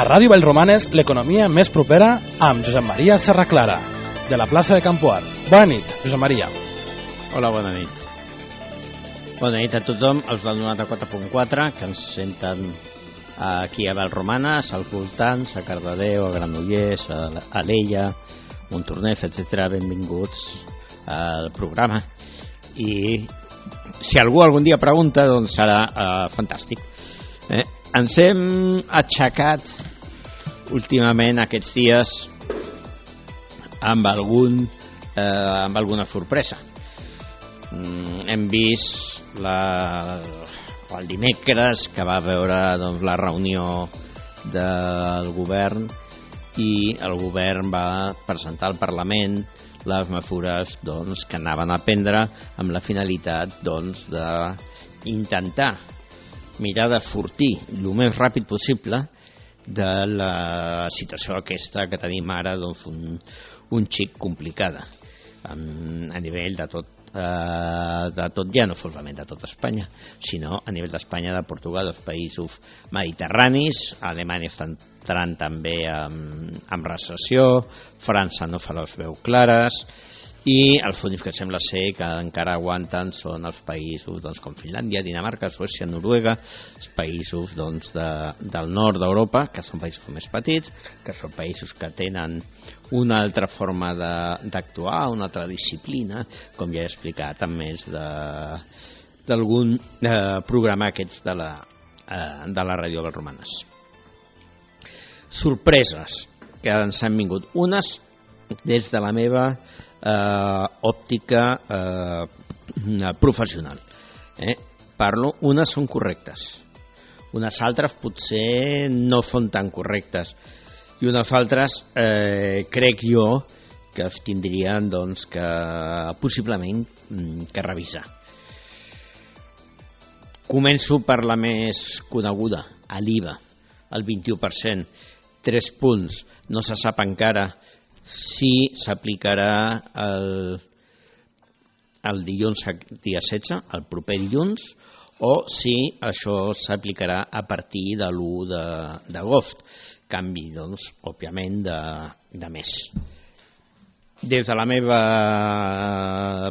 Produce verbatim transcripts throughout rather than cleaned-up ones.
A Ràdio Vallromanes, l'economia més propera amb Josep Maria Serraclara, de la plaça de Campoar. Bona nit, Josep Maria. Hola, bona nit. Bona nit a tothom, els del noranta-quatre punt quatre, que ens senten aquí a Vallromanes, als voltants, a Cardedeu, a Granollers, a Alella, Montornès, etcètera. Benvinguts al programa. I si algú algun dia pregunta, doncs serà uh, fantàstic. Eh? Ens hem aixecat últimament aquests dies amb, algun, eh, amb alguna sorpresa. Mm, hem vist la, el dimecres que va veure doncs, la reunió del govern i el govern va presentar al Parlament les mesures doncs, que anaven a prendre amb la finalitat doncs, d'intentar mirar de sortir el més ràpid possible de la situació aquesta que tenim ara, doncs, un, un xic complicada a nivell de tot, eh, de tot, ja no solament de tot Espanya, sinó a nivell d'Espanya, de Portugal, dels països mediterranis. Alemanya està entrant també amb, amb recessió, França no fa les veus clares, i els únics que sembla ser que encara aguanten són els països doncs, com Finlàndia, Dinamarca, Suècia, Noruega, els països doncs, de, del nord d'Europa, que són països més petits, que són països que tenen una altra forma d'actuar, una altra disciplina, com ja he explicat en més d'algun eh, programa aquests de la, eh, de la Ràdio Vallromanes. Sorpreses que ens han vingut. Unes des de la meva Uh, òptica uh, professional. Eh? Parlo, unes són correctes, unes altres potser no són tan correctes i unes altres eh, crec jo que es tindrien doncs, que possiblement que revisar. Començo per la més coneguda, a l'I V A, el vint-i-u per cent, tres punts, no se sap encara si s'aplicarà el, el dilluns dia setze, el proper dilluns, o si això s'aplicarà a partir de l'u d'agost. Canvi, doncs, òbviament, de, de mes. Des de la meva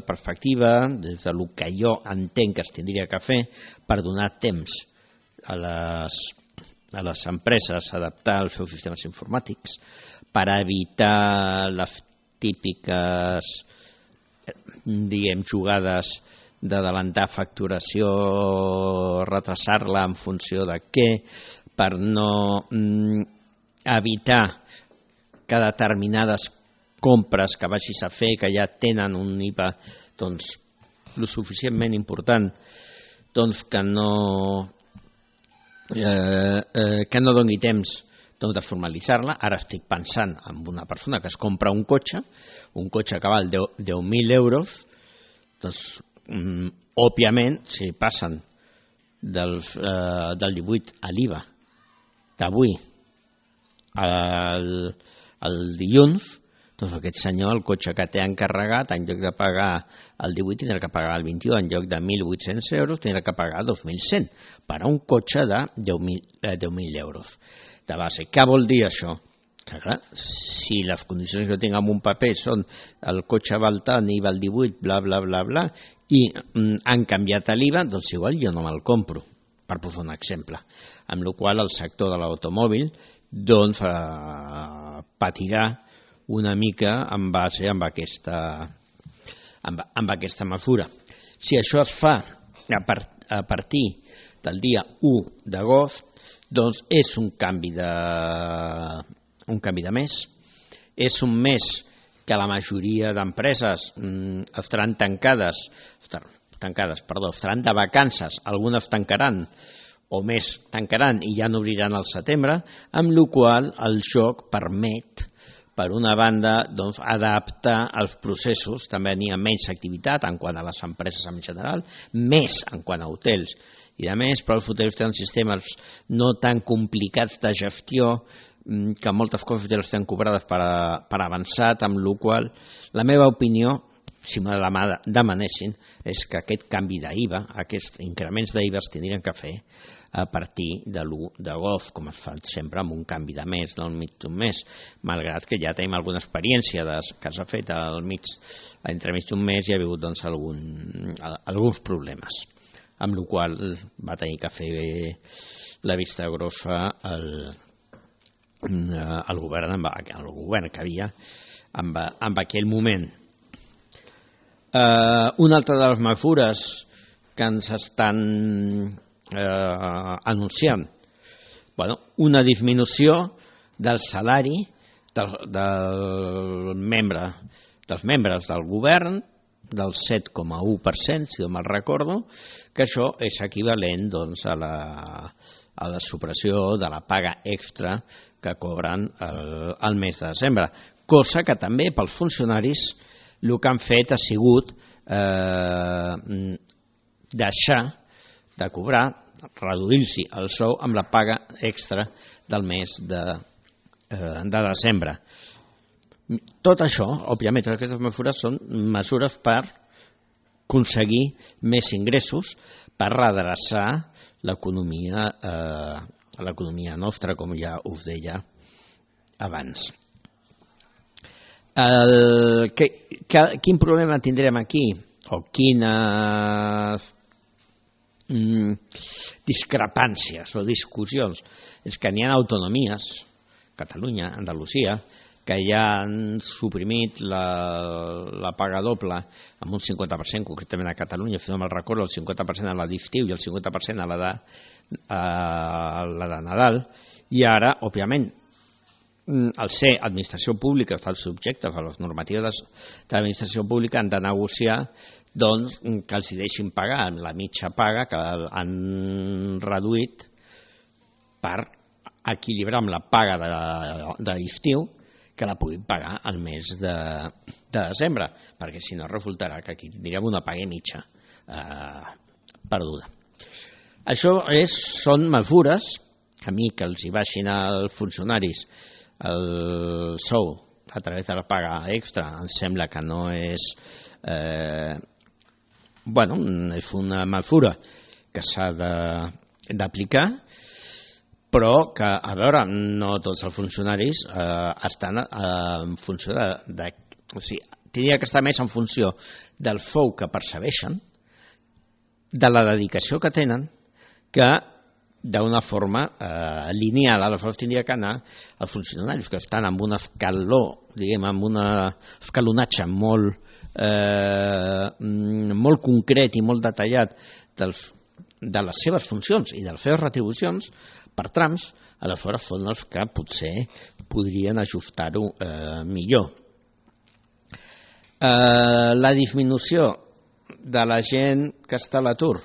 perspectiva, des de lo que jo entenc que es tindria que fer per donar temps a les, a les empreses a adaptar els seus sistemes informàtics, per evitar les típiques diguem, jugades d'adelantar facturació, retrasar-la en funció de què, per no mm, evitar que determinades compres que vagis a fer, que ja tenen un I V A doncs, lo suficientment important, doncs que no, eh, eh, que no doni temps doncs de formalitzar-la. Ara estic pensant en una persona que es compra un cotxe, un cotxe que val deu mil euros, doncs, mm, òbviament, si passen del, eh, del divuit a l'I V A d'avui al, al dilluns, doncs aquest senyor, el cotxe que té encarregat, en lloc de pagar el divuit, tindrà que pagar el vint-i-u, en lloc de mil vuit-cents euros, tindrà que pagar dos mil cent, per a un cotxe de deu mil euros. De base. Què vol dir això? Que, clar, si les condicions que tinc en un paper són el cotxe val tant i val divuit, bla, bla, bla, bla, i mm, han canviat l'I V A, doncs igual jo no me'l compro, per posar un exemple. Amb la qual el sector de l'automòbil doncs, eh, patirà una mica en base amb aquesta, amb, amb aquesta mesura. Si això es fa a, par, a partir del dia u d'agost, doncs és un canvi de un canvi de mes, és un mes que la majoria d'empreses mm, estaran tancades, tancades, perdó, estaran de vacances, algunes tancaran o més tancaran i ja n'obriran al setembre, amb la qual el joc permet, per una banda, doncs, adaptar els processos, també n'hi ha menys activitat en quant a les empreses en general, més en quant a hotels i a més, però els hotels tenen sistemes no tan complicats de gestió, que moltes coses ja les tenen cobrades per, a, per avançat, amb la qual la meva opinió, si me la demanessin, és que aquest canvi d'I V A, aquests increments d'I V A es tindrien que fer a partir de l'u d'agost, com es fa sempre amb un canvi de mes, del mig d'un mes, malgrat que ja tenim alguna experiència de, que s'ha fet al mig, entre mig d'un mes i ha hagut doncs, algun, alguns problemes, amb la qual va tenir que fer la vista grossa el, el govern, el govern que havia en, en aquell moment. Uh, una altra de les mesures que ens estan uh, anunciant, bueno, una disminució del salari del, del membre, dels membres del govern del set coma u per cent, si no me'n recordo, que això és equivalent doncs, a, la, a la supressió de la paga extra que cobren el, el mes de desembre, cosa que també pels funcionaris el que han fet ha sigut eh, deixar de cobrar, reduir-s'hi el sou amb la paga extra del mes de, eh, de desembre. Tot això, òbviament, totes aquestes mesures són mesures per aconseguir més ingressos, per redreçar l'economia, eh, l'economia nostra, com ja us deia abans. El, que, que, quin problema tindrem aquí o quines mm, discrepàncies o discussions és que n'hi ha autonomies, Catalunya, Andalusia, que ja han suprimit la, la paga doble amb un cinquanta per cent, concretament a Catalunya, si no me'n recordo, el cinquanta per cent a la d'estiu i el cinquanta per cent a la de, a la de Nadal, i ara, òbviament, al ser administració pública, estan subjectes a les normatives de l'administració pública, han de negociar doncs, que els deixin pagar la mitja paga que han reduït per equilibrar amb la paga de l'estiu, que la puguin pagar al mes de, de desembre, perquè si no resultarà que aquí tindríem una paga mitja eh, perduda. Això és, són mesures que a mi que els hi baixin als funcionaris el sou a través de la paga extra em sembla que no és eh, bueno, és una mesura que s'ha d'aplicar, però que, a veure, no tots els funcionaris eh, estan eh, en funció de, de o sigui, tindria que estar més en funció del sou que percebeixen, de la dedicació que tenen, que d'una forma eh, lineal. Aleshores tindria que anar els funcionaris que estan amb un escaló, diguem, amb un escalonatge molt, eh, molt concret i molt detallat dels, de les seves funcions i de les seves retribucions per trams, aleshores són els que potser podrien ajustar-ho eh, millor. Eh, la disminució de la gent que està a l'atur,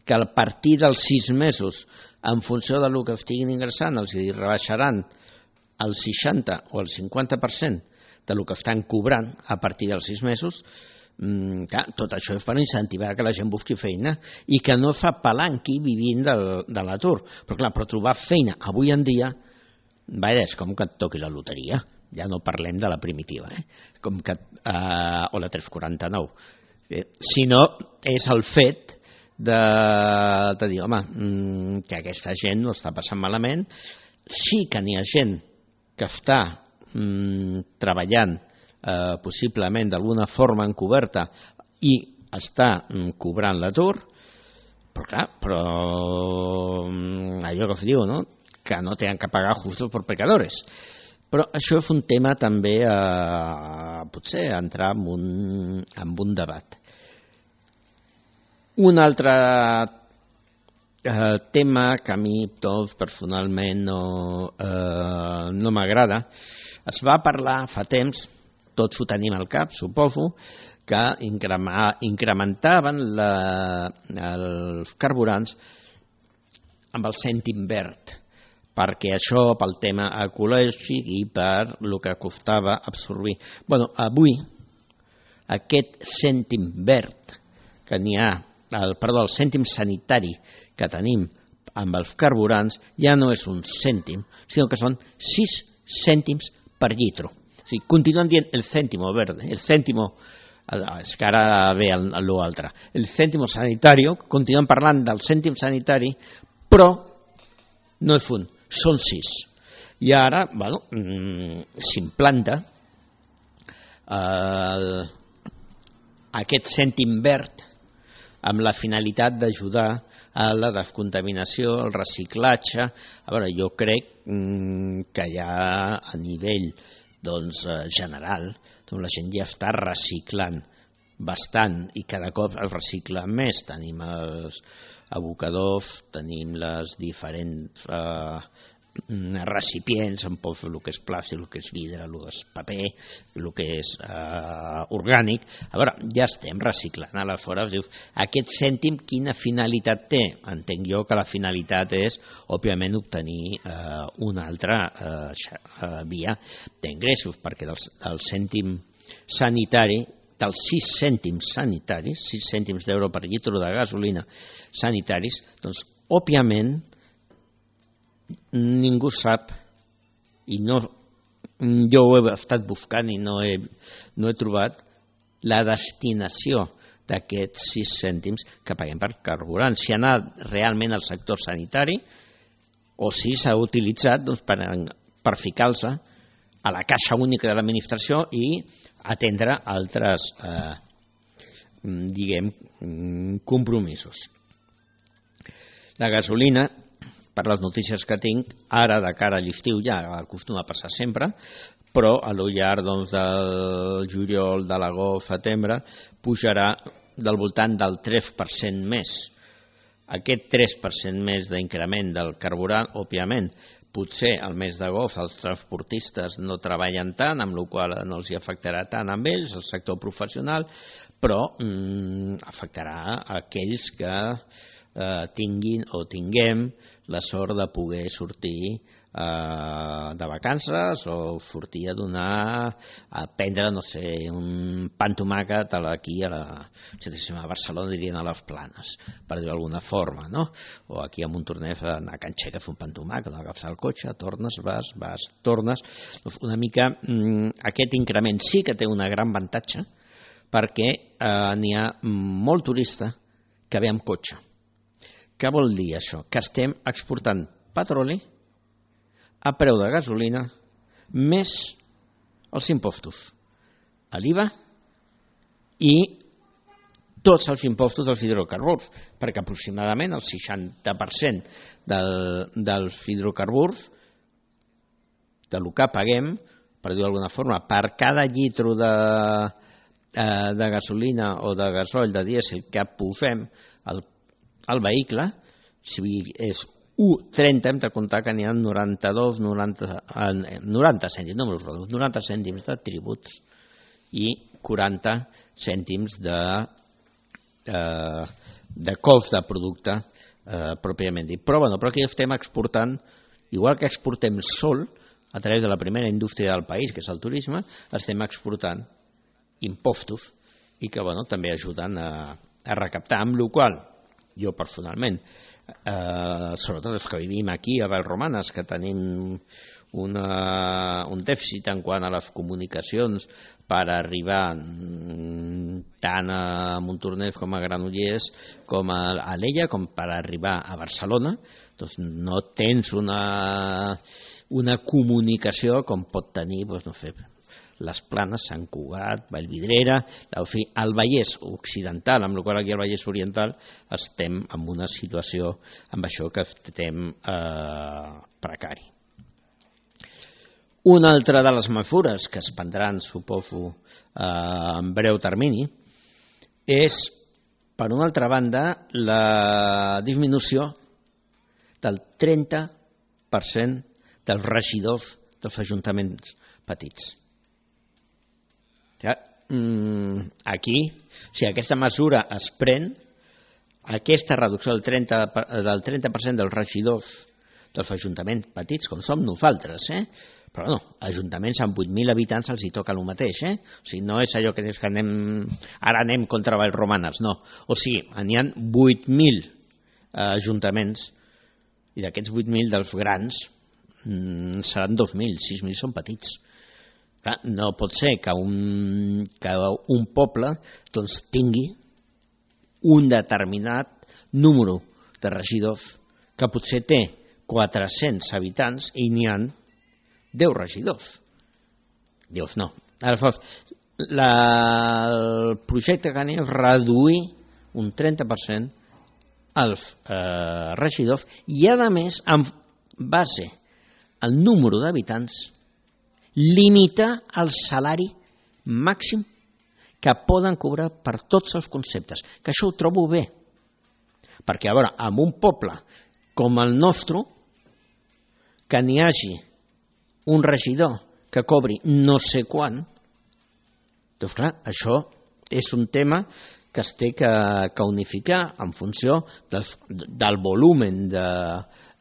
que a partir dels sis mesos, en funció del que estiguin ingressant, els rebaixaran el seixanta o el cinquanta per cent del que estan cobrant a partir dels sis mesos, mm, clar, tot això és per incentivar que la gent busqui feina i que no fa palanqui vivint de, de l'atur. Però clar, per trobar feina avui en dia, vaja, és com que et toqui la loteria, ja no parlem de la primitiva, eh? com que, eh, o la tres quaranta-nou, eh, sinó és el fet de, de dir, home, que aquesta gent no està passant malament. Sí que n'hi ha gent que està mm, treballant eh, possiblement d'alguna forma encoberta i està mm, cobrant l'atur, però clar, però allò que es diu, no? Que no tenen que pagar justos por pecadores. Però això és un tema també a potser entrar en un, en un debat. Un altre eh, tema que a mi doncs, personalment no, eh, no m'agrada, es va parlar fa temps, tots ho tenim al cap, suposo, que incrementaven la, els carburants amb el cèntim verd, perquè això pel tema ecològic i per el que costava absorbir. Bueno, avui aquest cèntim verd que n'hi ha, el, perdó, el cèntim sanitari que tenim amb els carburants ja no és un cèntim, sinó que són sis cèntims per litro. O sigui, continuen dient el cèntimo verde, el cèntimo és que ara ve l'altre. El cèntimo sanitari, continuem parlant del cèntim sanitari, però no és un, són sis. I ara, bueno, s'implanta eh, aquest cèntim verd amb la finalitat d'ajudar a la descontaminació, el reciclatge. A veure, jo crec que ja a nivell doncs, general doncs la gent ja està reciclant bastant i cada cop el recicla més. Tenim els abocadors, tenim les diferents eh, recipients, en pot fer el que és plàstic, el que és vidre, el que és paper, el que és eh, orgànic. A veure, ja estem reciclant. Aleshores, dius, aquest cèntim quina finalitat té? Entenc jo que la finalitat és, òbviament, obtenir eh, una altra eh, via d'ingressos, perquè del, del cèntim sanitari, dels sis cèntims sanitaris, sis cèntims d'euro per litre de gasolina sanitaris, doncs, òbviament, ningú sap i no, jo ho he estat buscant i no he, no he trobat la destinació d'aquests sis cèntims que paguem per carburant, si ha anat realment al sector sanitari o si s'ha utilitzat doncs, per, per ficar-se a la caixa única de l'administració i atendre altres eh, diguem compromisos. La gasolina, per les notícies que tinc, ara de cara a l'estiu ja acostuma a passar sempre, però a lo llarg doncs, del juliol, de l'agost, setembre, pujarà del voltant del tres per cent més. Aquest tres per cent més d'increment del carburant, òbviament, potser al mes d'agost els transportistes no treballen tant, amb la qual cosa no els afectarà tant amb ells, el sector professional, però mm, afectarà a aquells que eh, tinguin o tinguem la sort de poder sortir eh, de vacances o sortir a donar, a prendre, no sé, un pa amb tomàquet aquí a la a Barcelona, dirien a les Planes, per dir d'alguna forma, no? O aquí a Montornès a anar a Can Xeca a fer un pa amb tomàquet, no agafar el cotxe, tornes, vas, vas, tornes. Una mica mm, aquest increment sí que té una gran avantatge perquè eh, n'hi ha molt turista que ve amb cotxe. Què vol dir això? Que estem exportant petroli a preu de gasolina més els impostos a l'I V A i tots els impostos dels hidrocarburs, perquè aproximadament el seixanta per cent del, dels hidrocarburs del que paguem, per dir d'alguna forma, per cada litro de, de gasolina o de gasoil, de dièsel que posem al el vehicle, si és u coma trenta, hem de comptar que n'hi ha noranta-dos, noranta, noranta cèntims, no me'ls noranta cèntims de tributs i quaranta cèntims de, eh, de cost de producte eh, pròpiament dit. Però, bueno, però aquí estem exportant, igual que exportem sol, a través de la primera indústria del país, que és el turisme, estem exportant impostos i que, bueno, també ajuden a, a recaptar, amb la qual cosa jo personalment, eh, sobretot els que vivim aquí a Vallromanes, que tenim una, un dèficit en quant a les comunicacions per arribar tant a Montornès com a Granollers com a Alella, com per arribar a Barcelona, doncs no tens una, una comunicació com pot tenir, doncs no sé, les Planes, Sant Cugat, Vallvidrera, el Vallès Occidental, amb la qual aquí al Vallès Oriental estem en una situació amb això que estem eh, precari. Una altra de les mesures que es prendran, suposo, eh, en breu termini, és, per una altra banda, la disminució del trenta per cent dels regidors dels ajuntaments petits. Aquí, si aquesta mesura es pren, aquesta reducció del trenta per cent dels regidors dels ajuntaments petits, com som nosaltres, eh? Però no, ajuntaments amb vuit mil habitants els hi toca el mateix, eh? O sigui, no és allò que, que anem, ara anem contra Vallromanes, no. O sigui, n'hi ha vuit mil ajuntaments i d'aquests vuit mil dels grans seran dos mil, sis mil són petits. Clar, no pot ser que un, que un poble doncs, tingui un determinat número de regidors que potser té quatre-cents habitants i n'hi ha deu regidors. Dius, no. Aleshores, la, el projecte que anem és reduir un trenta per cent els eh, regidors i, a més, en base al número d'habitants, limitar el salari màxim que poden cobrar per tots els conceptes, que això ho trobo bé. Perquè, a veure, en un poble com el nostre, que n'hi hagi un regidor que cobri no sé quant, doncs clar, això és un tema que es té que, que unificar en funció del, del volumen de,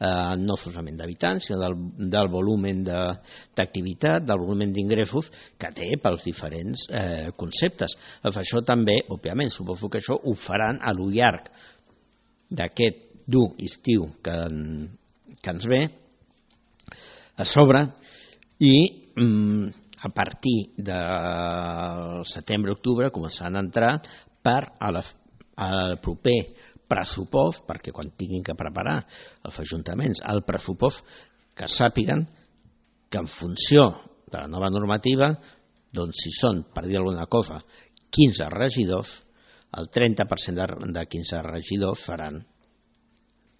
eh, no solament d'habitants, sinó del, del volumen d'activitat, de, del volumen d'ingressos que té pels diferents eh, conceptes. Doncs això també, òbviament, suposo que això ho faran a lo llarg d'aquest dur estiu que, que ens ve a sobre i mm, a partir de setembre-octubre començaran a entrar per a la, al proper pressupost, perquè quan tinguin que preparar els ajuntaments el pressupost, que sàpiguen que en funció de la nova normativa, doncs si són, per dir alguna cosa, quinze regidors, el trenta per cent de, de quinze regidors faran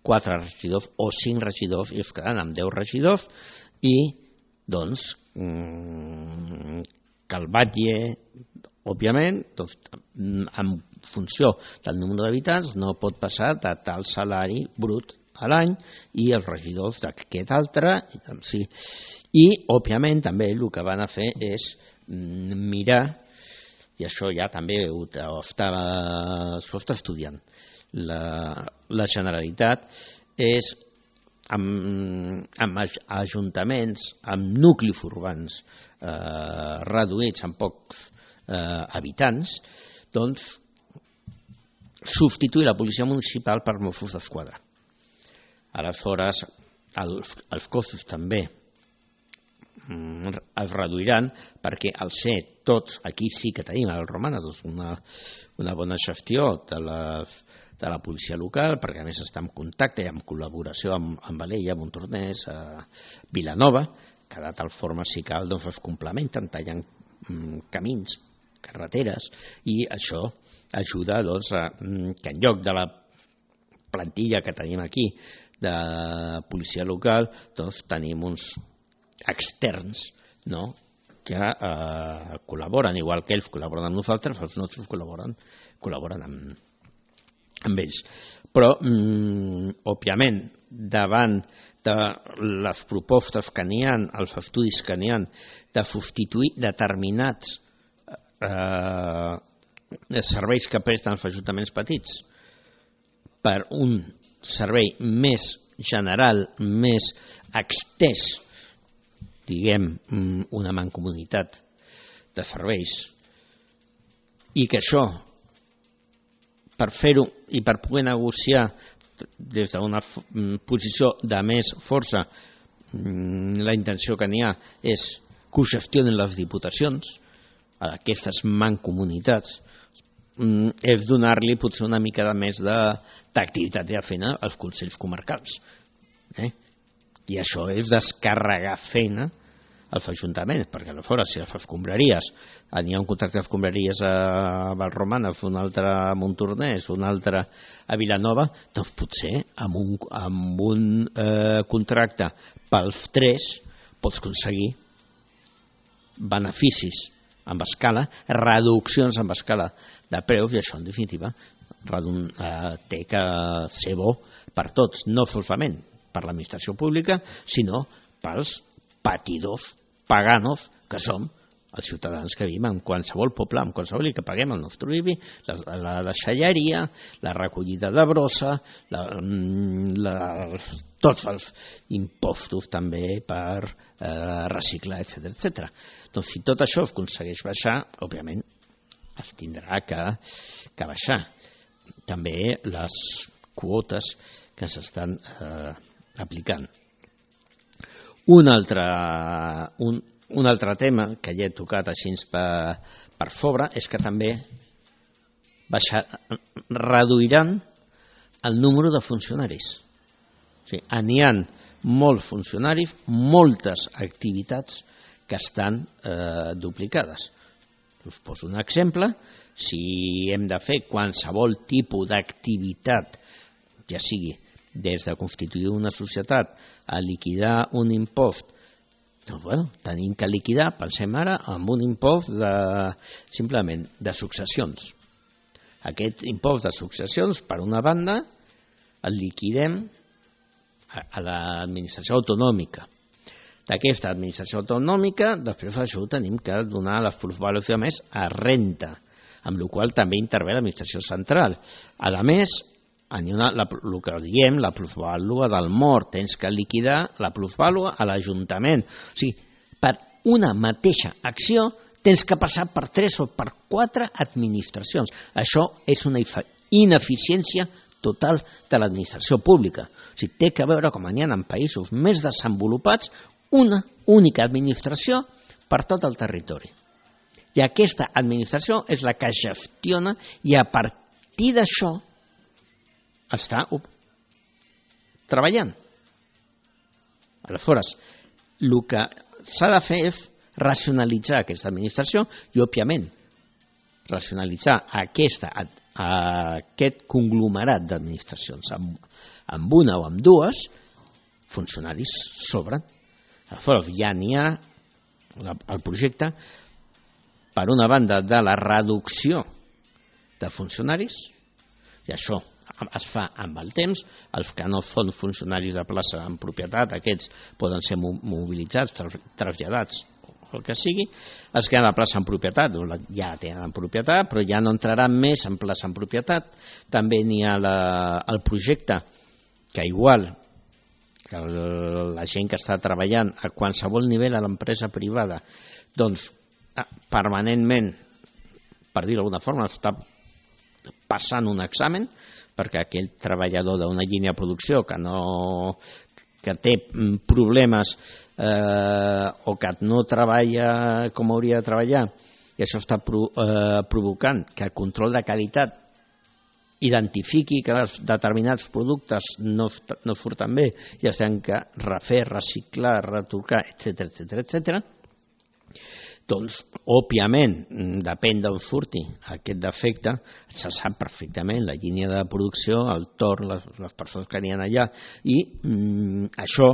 quatre regidors o cinc regidors i es quedaran amb deu regidors i doncs que el batlle, òbviament, doncs, en funció del número d'habitants no pot passar de tal salari brut a l'any i els regidors d'aquest altre. Sí. I, òbviament, també el que van a fer és mirar, i això ja també ho està, ho està estudiant la, la Generalitat, és amb, amb ajuntaments, amb nuclis urbans eh, reduïts amb pocs eh, habitants, doncs substituir la policia municipal per Mossos d'Esquadra. Aleshores, els, els costos també mm, es reduiran perquè al ser tots, aquí sí que tenim al Romana doncs una, una bona gestió de les de la policia local, perquè a més està en contacte i en col·laboració amb, amb Alella, Montornès, a Vilanova, que de tal forma si cal doncs es complementen, tallant mm, camins, carreteres, i això ajuda doncs, a que en lloc de la plantilla que tenim aquí de policia local, doncs tenim uns externs, no?, que eh, col·laboren, igual que ells col·laboren amb nosaltres, els nostres col·laboren, col·laboren amb amb ells. Però, mm, òbviament, davant de les propostes que n'hi ha, els estudis que n'hi ha, de substituir determinats eh, serveis que presten els ajuntaments petits per un servei més general, més extès, diguem, una mancomunitat de serveis, i que això, per fer-ho i per poder negociar des d'una posició de més força, la intenció que n'hi ha és que ho gestionen les diputacions, aquestes mancomunitats, és donar-li potser una mica de més d'activitat de feina als consells comarcals. Eh? I això és descarregar feina als ajuntaments, perquè aleshores si les escombraries, n'hi ha un contracte d'escombraries a Valromana, un altre a Montornès, un altre a Vilanova, doncs potser amb un, amb un eh, contracte pels tres pots aconseguir beneficis amb escala, reduccions amb escala de preus, i això en definitiva redun, eh, té que ser bo per tots, no solament per l'administració pública, sinó pels patidors paganos que som els ciutadans que vivim en qualsevol poble, en qualsevol i que paguem el nostre I B I, la, la deixalleria, la recollida de brossa, la, la, tots els impostos també per eh, reciclar, etcètera, etcètera. Doncs si tot això es aconsegueix baixar, òbviament es tindrà que, que baixar. També les quotes que s'estan eh, aplicant. Un altre, un, un altre tema que ja he tocat així per, per sobre és que també baixar, reduiran el número de funcionaris. O sigui, n'hi ha molts funcionaris, moltes activitats que estan eh, duplicades. Us poso un exemple. Si hem de fer qualsevol tipus d'activitat, ja sigui des de constituir una societat a liquidar un impost, doncs, bueno, tenim que liquidar, pensem ara, amb un impost de, simplement de successions. Aquest impost de successions, per una banda, el liquidem a, a l'administració autonòmica. D'aquesta administració autonòmica, després d'això tenim que donar la plusvàlua més a renta, amb la qual també intervé l'administració central. A més, el que diem, la plusvàlua del mort, tens que liquidar la plusvàlua a l'Ajuntament. O sigui, per una mateixa acció tens que passar per tres o per quatre administracions. Això és una ineficiència total de l'administració pública. O sigui, té que veure com n'hi ha en països més desenvolupats una única administració per tot el territori. I aquesta administració és la que gestiona i a partir d'això està treballant. Aleshores, el que s'ha de fer és racionalitzar aquesta administració i, òbviament, racionalitzar aquesta, aquest conglomerat d'administracions. Amb una o amb dues, funcionaris sobren. Aleshores, ja n'hi ha el projecte, per una banda, de la reducció de funcionaris, i això es fa amb el temps. Els que no són funcionaris de plaça en propietat, aquests poden ser mobilitzats, traslladats, o el que sigui. Els que han la plaça en propietat, ja tenen en propietat, però ja no entraran més en plaça en propietat. També n'hi ha la, el projecte que igual que la gent que està treballant a qualsevol nivell a l'empresa privada, doncs permanentment, per dir-ho d'alguna forma, està passant un examen, perquè aquell treballador d'una línia de producció que, no, que té problemes eh, o que no treballa com hauria de treballar, i això està pro, eh, provocant que el control de qualitat identifiqui que determinats productes no, no surten bé i es tenen que refer, reciclar, retocar, etcètera, etcètera, etcètera. Doncs, òbviament, depèn d'on surti aquest defecte, se sap perfectament la línia de producció, el torn, les, les persones que n'hi ha allà, i mm, això,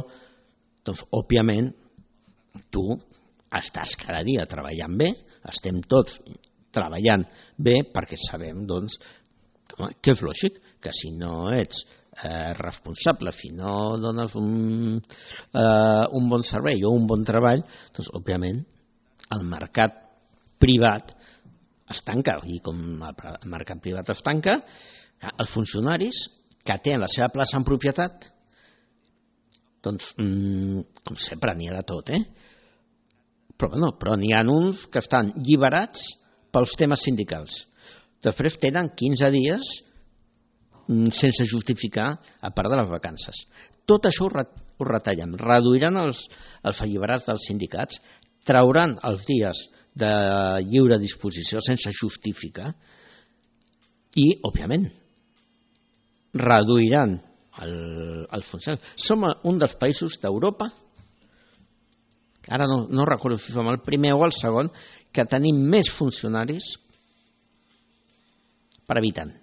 doncs, òbviament, tu estàs cada dia treballant bé, estem tots treballant bé, perquè sabem, doncs, que és lògic, que si no ets eh, responsable, si no dones un, eh, un bon servei o un bon treball, doncs, òbviament, el mercat privat es tanca, i com el mercat privat es tanca, els funcionaris que tenen la seva plaça en propietat, doncs, com sempre, n'hi ha de tot, eh? Però no, però n'hi ha uns que estan lliberats pels temes sindicals. Després tenen quinze dies sense justificar a part de les vacances. Tot això ho retallem. Reduiran els, els alliberats dels sindicats, trauran els dies de lliure disposició sense justificar i, òbviament, reduiran el, el funcionari. Som un dels països d'Europa, ara no, no recordo si som el primer o el segon, que tenim més funcionaris per habitant.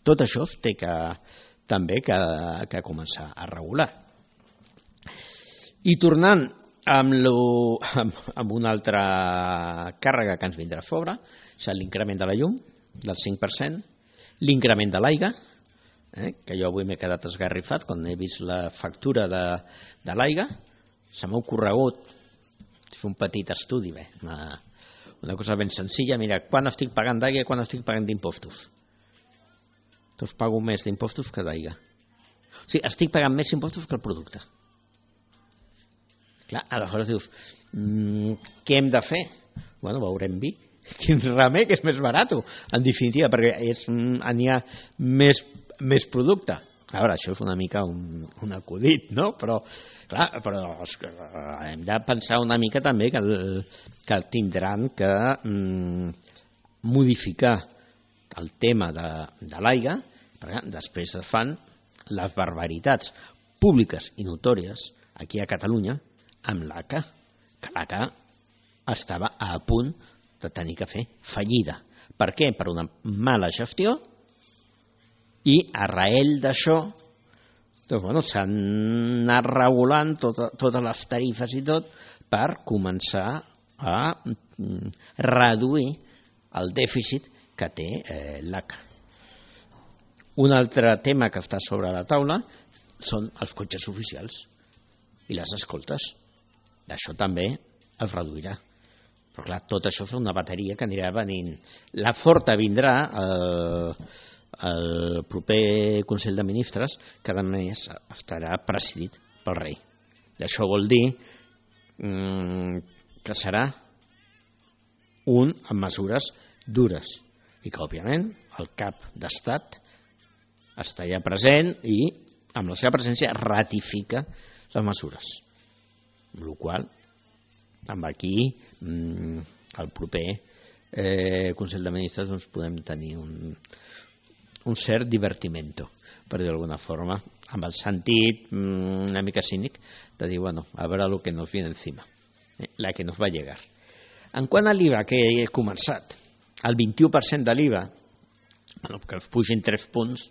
Tot això es té que, també que, que començar a regular. I tornant amb, lo, amb, amb una altra càrrega que ens vindrà a sobre, és l'increment de la llum del cinc per cent, l'increment de l'aigua, eh, que jo avui m'he quedat esgarrifat quan he vist la factura de, de l'aigua. Se m'ha ocorregut fer un petit estudi, bé, una, una cosa ben senzilla. Mira, quan estic pagant d'aigua i quan estic pagant d'impostos? Doncs pago més d'impostos que d'aigua. O sigui, estic pagant més impostos que el producte. Clar, aleshores dius, mmm, què hem de fer? Bueno, veurem vi. Quin remei que és més barat, en definitiva, perquè n'hi ha més, més producte. a veure, això és una mica un, un acudit, no? Però, clar, però hem de pensar una mica també que, el, que tindran que mm, modificar el tema de, de l'aigua, perquè després es fan les barbaritats públiques i notòries aquí a Catalunya amb l'A C A, que l'A C A estava a punt de tenir que fer fallida. Per què? Per una mala gestió, i arrel d'això doncs, bueno, s'han anat regulant tot, totes les tarifes i tot per començar a reduir el dèficit que té eh, l'A C A. Un altre tema que està sobre la taula són els cotxes oficials i les escoltes. D'això també es reduirà. Però clar, tot això és una bateria que anirà venint. La forta vindrà eh, el proper Consell de Ministres, que a més estarà presidit pel rei. Això vol dir mm, que serà un amb mesures dures i que, òbviament, el cap d'estat està ja present i amb la seva presència ratifica les mesures. Amb la qual amb aquí mm, el proper eh, Consell de Ministres doncs, podem tenir un, un cert divertimento, per dir d'alguna forma, amb el sentit mm, una mica cínic de dir, bueno, a veure el que nos viene encima, eh, la que nos va a llegar. En quant a l'I V A, que he començat, el vint-i-u per cent de l'I V A, bueno, que es pugin tres punts,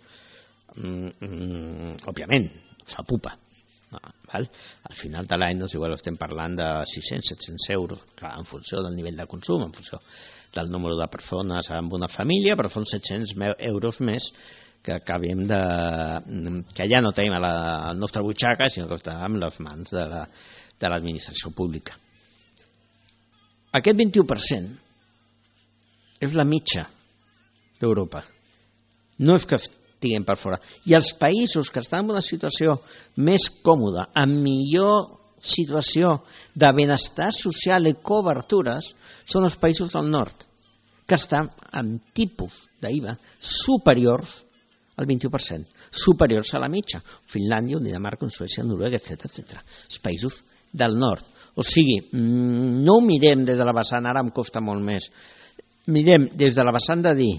mm, mm, òbviament, fa pupa. No, val? Al final de l'any doncs, igual estem parlant de sis-cents a set-cents euros, clar, en funció del nivell de consum, en funció del número de persones amb una família, però són set-cents euros més que acabem de... que ja no tenim a la, a la nostra butxaca, sinó que està en les mans de la, de l'administració pública. Aquest vint-i-u per cent és la mitja d'Europa. No és que estiguem per fora. I els països que estan en una situació més còmoda, amb millor situació de benestar social i cobertures, són els països del nord, que estan amb tipus d'I V A superiors al vint-i-u per cent, superiors a la mitja. Finlàndia, Dinamarca, Suècia, Noruega, etcètera, etcètera. Els països del nord. O sigui, no ho mirem des de la vessant, ara em costa molt més, mirem des de la vessant de dir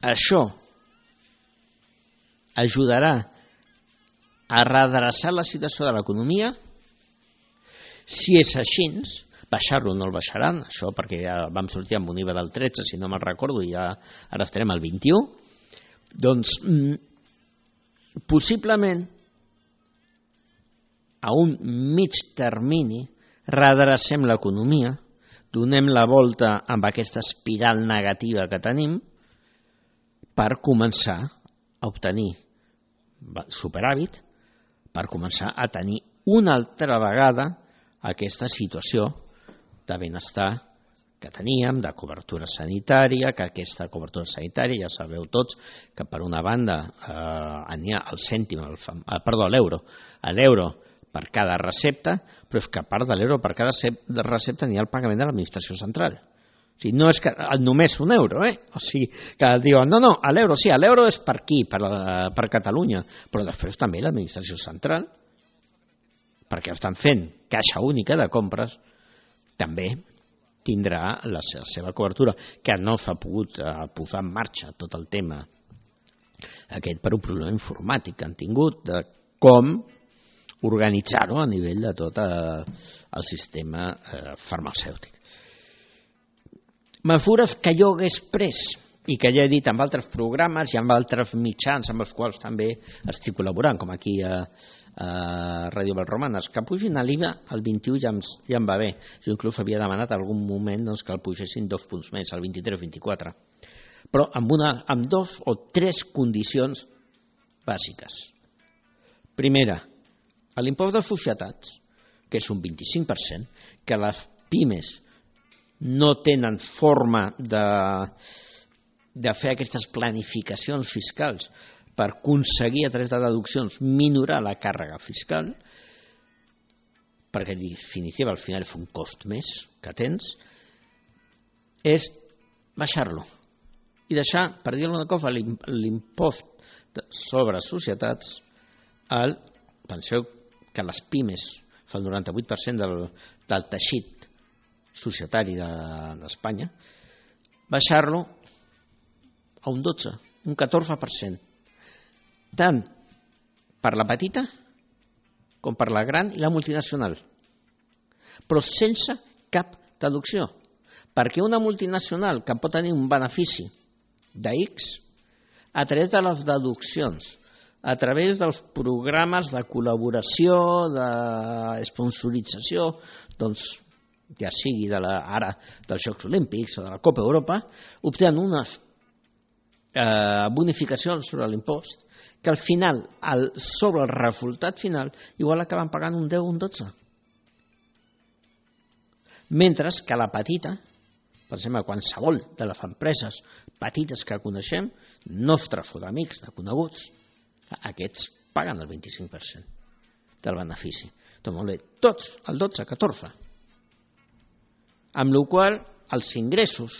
això ajudarà a redreçar la situació de l'economia. Si és així, baixar-lo no el baixaran, això perquè ja vam sortir amb un I V A del tretze, si no me'n recordo, i ja ara estarem al vint-i-u, doncs possiblement a un mig termini redrecem l'economia, donem la volta amb aquesta espiral negativa que tenim per començar a obtenir superàvit, per començar a tenir una altra vegada aquesta situació de benestar que teníem, de cobertura sanitària, que aquesta cobertura sanitària, ja sabeu tots, que per una banda eh, n'hi ha el cèntim, el, eh, perdó, l'euro, l'euro per cada recepta, però és que a part de l'euro per cada recepta n'hi ha el pagament de l'administració central. O sigui, no és que només un euro, eh? O sigui, que diuen, no, no, l'euro sí, l'euro és per aquí, per, per Catalunya, però després també l'administració central, perquè estan fent caixa única de compres, també tindrà la seva cobertura, que no s'ha pogut eh, posar en marxa tot el tema aquest per un problema informàtic que han tingut, de com organitzar-ho a nivell de tot el, el sistema eh, farmacèutic. Mesures que jo hagués pres i que ja he dit amb altres programes i amb altres mitjans amb els quals també estic col·laborant, com aquí a, a Ràdio Valromanes, que pugin l'I V A al vint-i-u ja em, ja em va bé. Jo inclús havia demanat algun moment doncs, que el pugessin dos punts més, al vint-i-tres o vint-i-quatre. Però amb, una, amb dos o tres condicions bàsiques. Primera, l'impost de societats, que és un vint-i-cinc per cent, que les pimes no tenen forma de, de fer aquestes planificacions fiscals per aconseguir a través de deduccions minorar la càrrega fiscal, perquè en definitiva al final és un cost més que tens, és baixar-lo i deixar, per dir-ho una cosa, l'impost sobre societats, el, penseu que les pimes fa el noranta-vuit per cent del, del teixit societari d'Espanya, baixar-lo a un dotze, un catorze per cent, tant per la petita com per la gran i la multinacional, però sense cap deducció, perquè una multinacional que pot tenir un benefici de X, a través de les deduccions, a través dels programes de col·laboració, de sponsorització, doncs ja sigui de la, ara dels Jocs Olímpics o de la Copa Europa, obtenen unes eh, bonificacions sobre l'impost que al final, el, sobre el resultat final, igual acaben pagant un deu o un dotze. Mentre que la petita, per exemple, qualsevol de les empreses petites que coneixem, nostres o d'amics, de coneguts, aquests paguen el vint-i-cinc per cent del benefici. Doncs molt bé, tots el dotze catorze. Amb la qual cosa els ingressos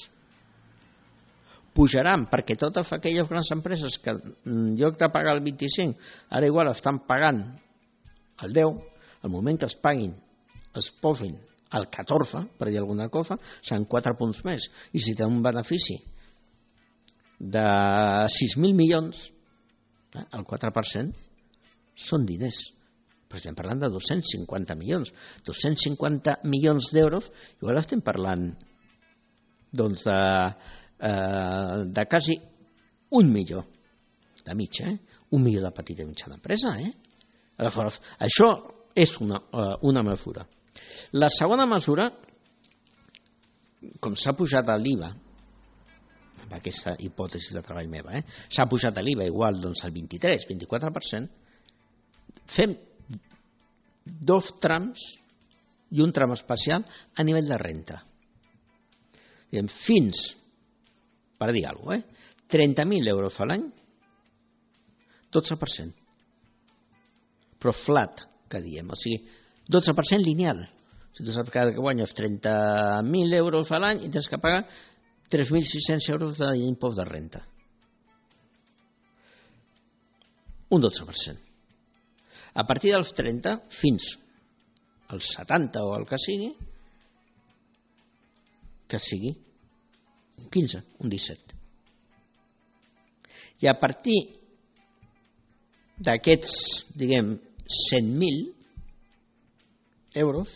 pujaran, perquè totes aquelles grans empreses que en lloc de pagar el vint-i-cinc ara igual estan pagant el deu, al moment que els paguin es posin el catorze, per dir alguna cosa, seran quatre punts més. I si té un benefici de sis mil milions, el quatre per cent són diners. Però estem parlant de dos-cents cinquanta milions. dos-cents cinquanta milions d'euros, igual estem parlant doncs de, eh, de quasi un milió de mitja, eh? un milió de petita i mitjana empresa. Eh? Aleshores, això és una, uh, una mesura. La segona mesura, com s'ha pujat a l'I V A, amb aquesta hipòtesi de treball meva, eh? s'ha pujat a l'I V A igual doncs, al vint-i-tres vint-i-quatre per cent, fem dos trams i un tram especial a nivell de renta. Diem, fins, per dir alguna cosa, eh? trenta mil euros a l'any, dotze per cent. Però flat, que diem, o sigui, dotze per cent lineal. Si tu saps que guanyes trenta mil euros a l'any i tens que pagar tres mil sis-cents euros d'impost de renta. Un dotze per cent. A partir dels trenta fins als setanta o el que sigui, que sigui un quinze, un disset. I a partir d'aquests, diguem, cent mil euros,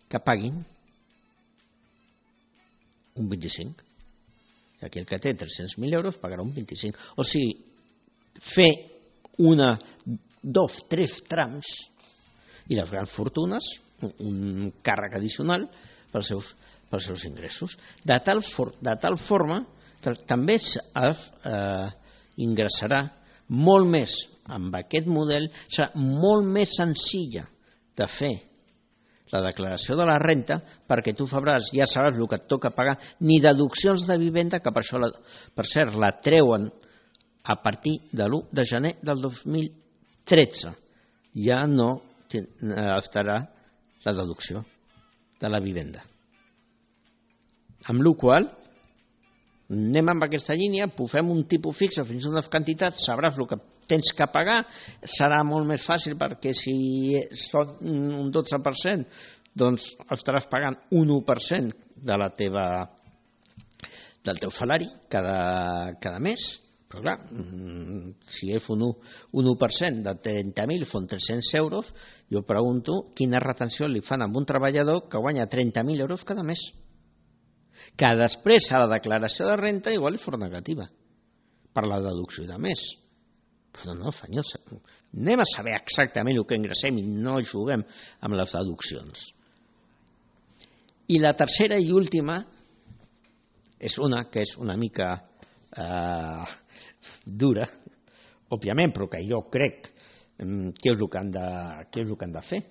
que paguin un vint-i-cinc. I aquí el que té tres-cents mil euros pagarà un vint-i-cinc. O sigui, fer una, dos, tres trams i les grans fortunes, un càrrec addicional pels seus, pels seus ingressos. De tal, for, de tal forma que també es eh, ingressarà molt més amb aquest model, serà molt més senzilla de fer la declaració de la renta, perquè tu fabràs, ja sabràs el que et toca pagar, ni deduccions de vivenda, que per això, la, per cert, la treuen a partir de l'u de gener del dos mil tretze. Ja no estarà la deducció de la vivenda. Amb la qual cosa, anem amb aquesta línia, pugem un tipus fixe fins a unes quantitats, sabràs el que tens que pagar, serà molt més fàcil perquè si són un dotze per cent, doncs estaràs pagant un u per cent de la teva, del teu salari cada, cada mes. Però clar, si és un u per cent de trenta mil, són tres-cents euros, jo pregunto quina retenció li fan a un treballador que guanya trenta mil euros cada mes, que després a la declaració de renta igual és fora negativa per la deducció de més. Però no, senyors, anem a saber exactament el que ingressem i no juguem amb les deduccions. I la tercera i última és una que és una mica eh, dura, òbviament, però que jo crec que és el que han de, que és el que han de fer.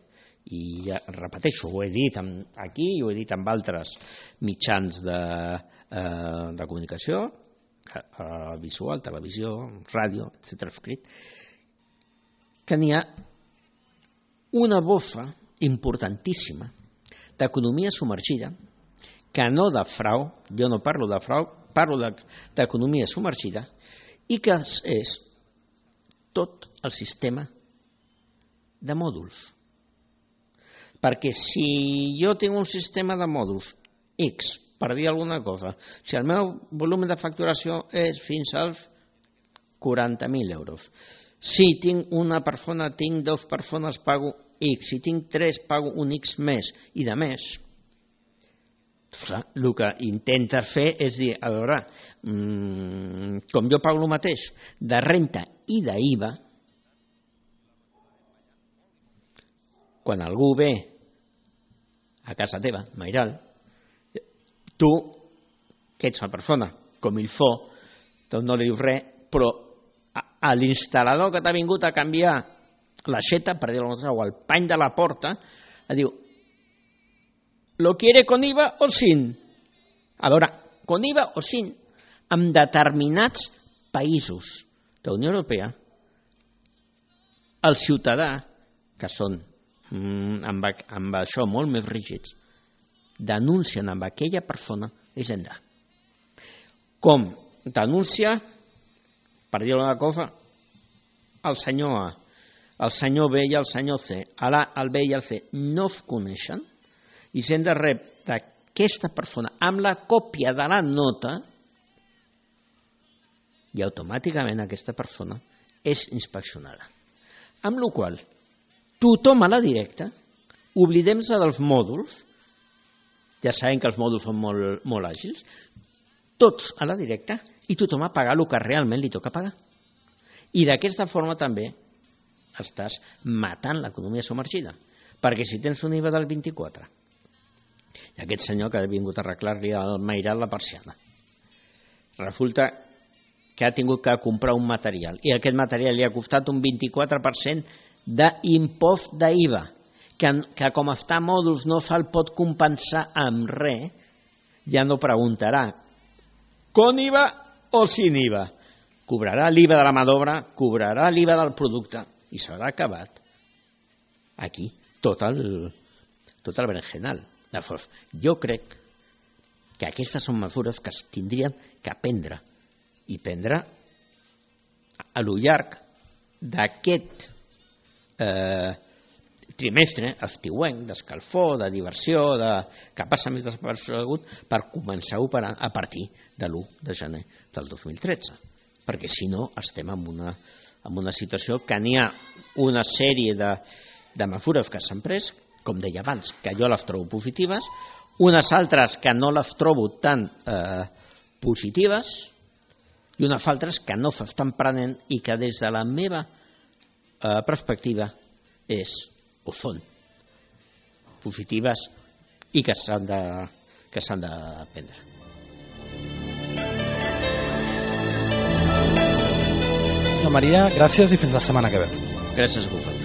I ja, repeteixo, ho he dit aquí i ho he dit amb altres mitjans de, eh, de comunicació, eh, visual, televisió, ràdio, etcètera, escrit, que n'hi ha una bofa importantíssima d'economia submergida, que no de frau, jo no parlo de frau, parlo d'economia submergida, i que és tot el sistema de mòduls. Perquè si jo tinc un sistema de mòduls X, per dir alguna cosa, si el meu volum de facturació és fins als quaranta mil euros, si tinc una persona, tinc dues persones, pago X, si tinc tres, pago un X més i de més, el que intentes fer és dir, a veure, com jo pago el mateix de renta i d'I V A, quan algú ve a casa teva, Mairal, tu, que ets una persona com il faut, doncs no li dius res, però a l'instal·lador que t'ha vingut a canviar l'aixeta, per dir-ho o el pany de la porta, et diu, ¿lo quiere con I V A o sin? A veure, con I V A o sin? En determinats països de la Unió Europea, el ciutadà, que són amb, amb això molt més rígids, denuncien amb aquella persona l'Hisenda. Com denuncia, per dir una cosa, el senyor A, el senyor B i el senyor C. Ara el B i el C no es coneixen, Hisenda rep d'aquesta persona amb la còpia de la nota i automàticament aquesta persona és inspeccionada. Amb la qual cosa, tothom a la directa, oblidem-se dels mòduls, ja sabem que els mòduls són molt, molt àgils, tots a la directa i tothom a pagar el que realment li toca pagar. I d'aquesta forma també estàs matant l'economia submergida, perquè si tens un I V A del vint-i-quatre i aquest senyor que ha vingut a arreglar-li al Mairal la persiana, resulta que ha tingut que comprar un material i aquest material li ha costat un vint-i-quatre per cent d'impost d'I V A, que, que com està a mòduls no se'l pot compensar amb res, ja no preguntarà con I V A o sin I V A. Cobrarà l'I V A de la mà d'obra, cobrarà l'I V A del producte i s'haurà acabat aquí tot el, tot el berenjenal. Llavors, jo crec que aquestes són mesures que es tindrien que prendre i prendre a lo llarg d'aquest eh, trimestre estiuenc, d'escalfor, de diversió, de, que passa més desapercebut, per començar a operar a partir de l'u de gener del dos mil tretze. Perquè si no estem en una, en una situació que n'hi ha una sèrie de, de mesures que s'han pres, com deia abans, que jo les trobo positives, unes altres que no les trobo tan eh, positives i unes altres que no s'estan prenent i que des de la meva eh, perspectiva és o són positives i que s'han de, que s'han de prendre. Maria, gràcies i fins la setmana que ve. Gràcies a vosaltres.